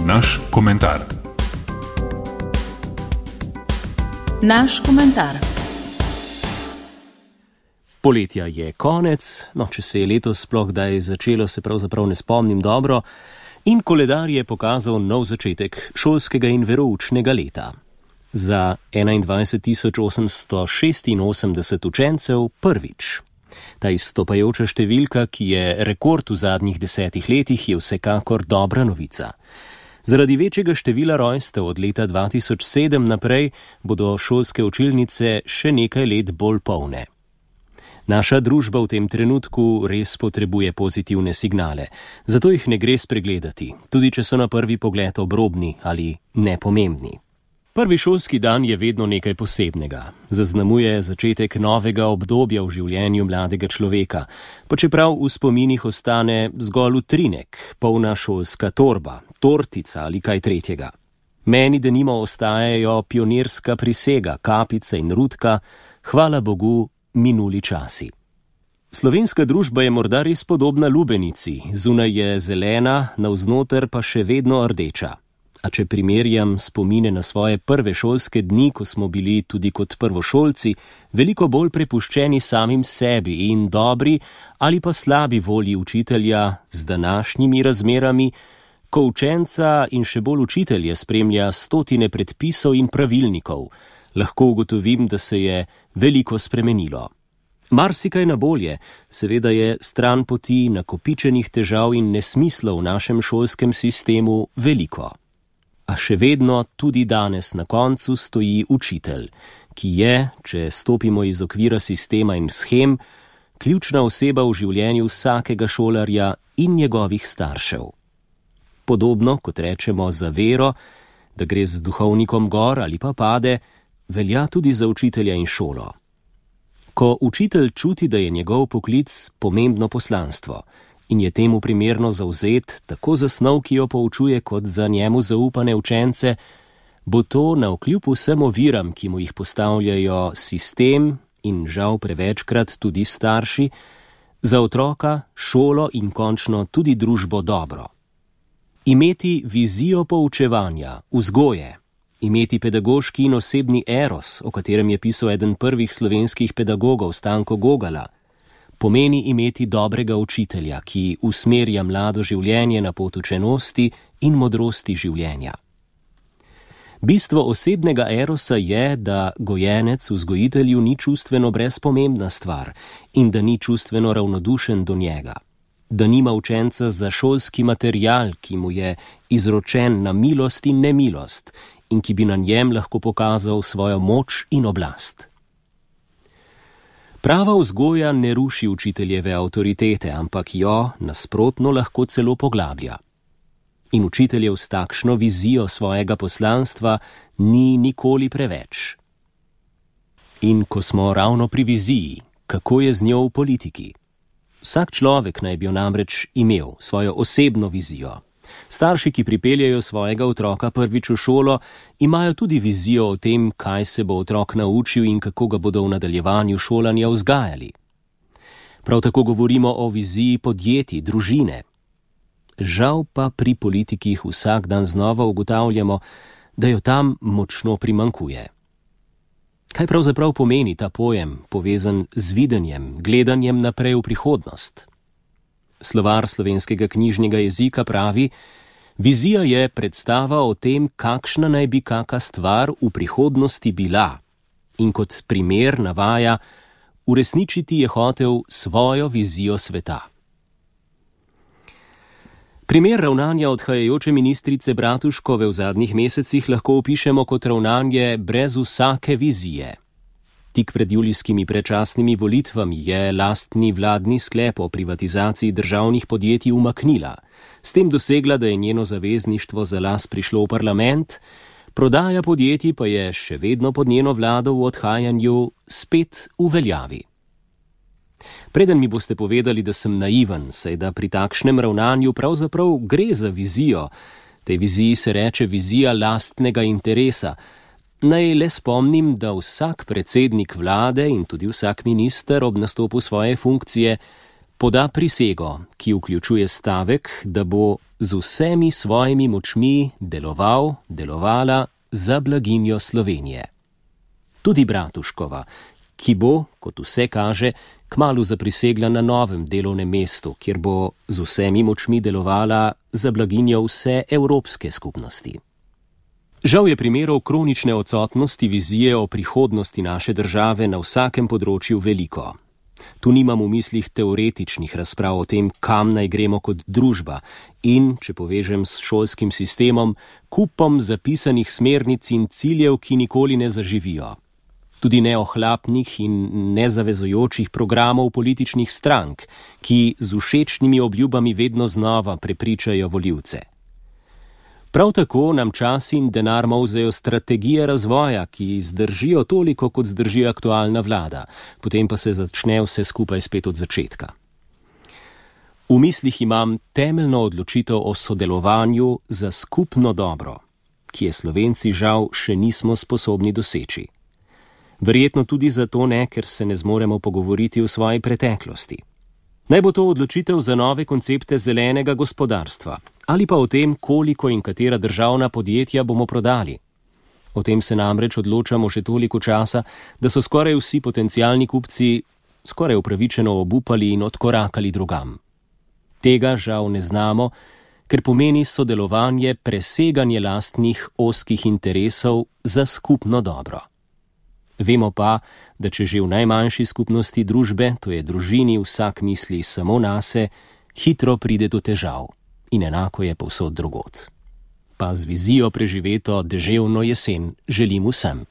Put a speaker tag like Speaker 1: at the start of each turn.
Speaker 1: Naš komentar.
Speaker 2: Naš komentar.
Speaker 3: Poletja je konec, če se je letos sploh kdaj začelo, se pravzaprav ne spomnim dobro, in koledar je pokazal nov začetek šolskega in veroučnega leta. Za 21.886 učencev prvič. Ta izstopajoča številka, ki je rekord v zadnjih 10 letih, je vsekakor dobra novica. Zaradi večjega števila rojstev od leta 2007 naprej bodo šolske učilnice še nekaj let bolj polne. Naša družba v tem trenutku res potrebuje pozitivne signale, zato jih ne gre spregledati, tudi če so na prvi pogled obrobni ali nepomembni. Prvi šolski dan je vedno nekaj posebnega. Zaznamuje začetek novega obdobja v življenju mladega človeka, pa čeprav v spominih ostane zgolj utrinek, polna šolska torba, tortica ali kaj tretjega. Meni denimo ostajajo pionirska prisega, kapica in rutka, hvala Bogu, minuli časi. Slovenska družba je morda res podobna lubenici, zunaj je zelena, navznoter pa še vedno rdeča. A če primerjam spomine na svoje prve šolske dni, ko smo bili tudi kot prvošolci, veliko bolj prepuščeni samim sebi in dobri ali pa slabi volji učitelja z današnjimi razmerami, ko učenca in še bolj učitelje spremlja stotine predpisov in pravilnikov, lahko ugotovim, da se je veliko spremenilo. Marsikaj na bolje, seveda je stran poti nakopičenih težav in nesmislov v našem šolskem sistemu veliko. A še vedno tudi danes na koncu stoji učitelj, ki je, če stopimo iz okvira sistema in shem, ključna oseba v življenju vsakega šolarja in njegovih staršev. Podobno, kot rečemo za vero, da gre z duhovnikom gor ali pa pade, velja tudi za učitelja in šolo. Ko učitelj čuti, da je njegov poklic pomembno poslanstvo in je temu primerno zavzet tako za snov, ki jo poučuje, kot za njemu zaupane učence, bo to navkljub vsem oviram, ki mu jih postavljajo sistem in žal prevečkrat tudi starši, za otroka, šolo in končno tudi družbo dobro. Imeti vizijo poučevanja, vzgoje, imeti pedagoški in osebni eros, o katerem je pisal eden prvih slovenskih pedagogov Stanko Gogala, pomeni imeti dobrega učitelja, ki usmerja mlado življenje na pot učenosti in modrosti življenja. Bistvo osebnega erosa je, da gojenec vzgojitelju ni čustveno brezpomembna stvar in da ni čustveno ravnodušen do njega. Da nima učenca za šolski material, ki mu je izročen na milost in nemilost in ki bi na njem lahko pokazal svojo moč in oblast. Prava vzgoja ne ruši učiteljeve avtoritete, ampak jo nasprotno lahko celo poglablja. In učiteljev s takšno vizijo svojega poslanstva ni nikoli preveč. In ko smo ravno pri viziji, kako je z njo v politiki? Vsak človek naj bi jo namreč imel svojo osebno vizijo. Starši, ki pripeljejo svojega otroka prvič v šolo, imajo tudi vizijo o tem, kaj se bo otrok naučil in kako ga bodo v nadaljevanju šolanja vzgajali. Prav tako govorimo o viziji podjetij, družine. Žal pa pri politikih vsak dan znova ugotavljamo, da jo tam močno primanjkuje. Kaj pravzaprav pomeni ta pojem, povezan z videnjem, gledanjem naprej v prihodnost? Slovar slovenskega knjižnega jezika pravi: vizija je predstava o tem, kakšna naj bi kaka stvar v prihodnosti bila, in kot primer navaja: uresničiti je hotel svojo vizijo sveta. Primer ravnanja odhajajoče ministrice Bratuškove v zadnjih mesecih lahko opišemo kot ravnanje brez vsake vizije. Tik pred julijskimi predčasnimi volitvami je lastni vladni sklep o privatizaciji državnih podjetij umaknila, s tem dosegla, da je njeno zavezništvo za las prišlo v parlament, prodaja podjetij pa je še vedno pod njeno vlado v odhajanju spet v veljavi. Preden mi boste povedali, da sem naiven, saj da pri takšnem ravnanju pravzaprav gre za vizijo, tej viziji se reče vizija lastnega interesa, naj le spomnim, da vsak predsednik vlade in tudi vsak minister ob nastopu svoje funkcije poda prisego, ki vključuje stavek, da bo z vsemi svojimi močmi delovala za blaginjo Slovenije. Tudi Bratuškova, ki bo, kot vse kaže, kmalu zaprisegla na novem delovnem mestu, kjer bo z vsemi močmi delovala za blaginjo vse evropske skupnosti. Žal je primerov kronične odsotnosti vizije o prihodnosti naše države na vsakem področju veliko. Tu nimam v mislih teoretičnih razprav o tem, kam naj gremo kot družba in, če povežem s šolskim sistemom, kupom zapisanih smernic in ciljev, ki nikoli ne zaživijo. Tudi ne ohlapnih in nezavezujočih programov političnih strank, ki z všečnimi obljubami vedno znova prepričajo volivce. Prav tako nam čas in denar molzejo strategije razvoja, ki zdržijo toliko, kot zdrži aktualna vlada, potem pa se začne vse skupaj spet od začetka. V mislih imam temeljno odločitev o sodelovanju za skupno dobro, ki je Slovenci žal še nismo sposobni doseči. Verjetno tudi zato ne, ker se ne zmoremo pogovoriti o svoji preteklosti. Naj bo to odločitev za nove koncepte zelenega gospodarstva ali pa o tem, koliko in katera državna podjetja bomo prodali. O tem se namreč odločamo že toliko časa, da so skoraj vsi potencialni kupci skoraj upravičeno obupali in odkorakali drugam. Tega žal ne znamo, ker pomeni sodelovanje preseganje lastnih ozkih interesov za skupno dobro. Vemo pa, da če že v najmanjši skupnosti družbe, to je družini, vsak misli samo nase, hitro pride do težav in enako je povsod drugod. Pa z vizijo preživeto deževno jesen želim vsem.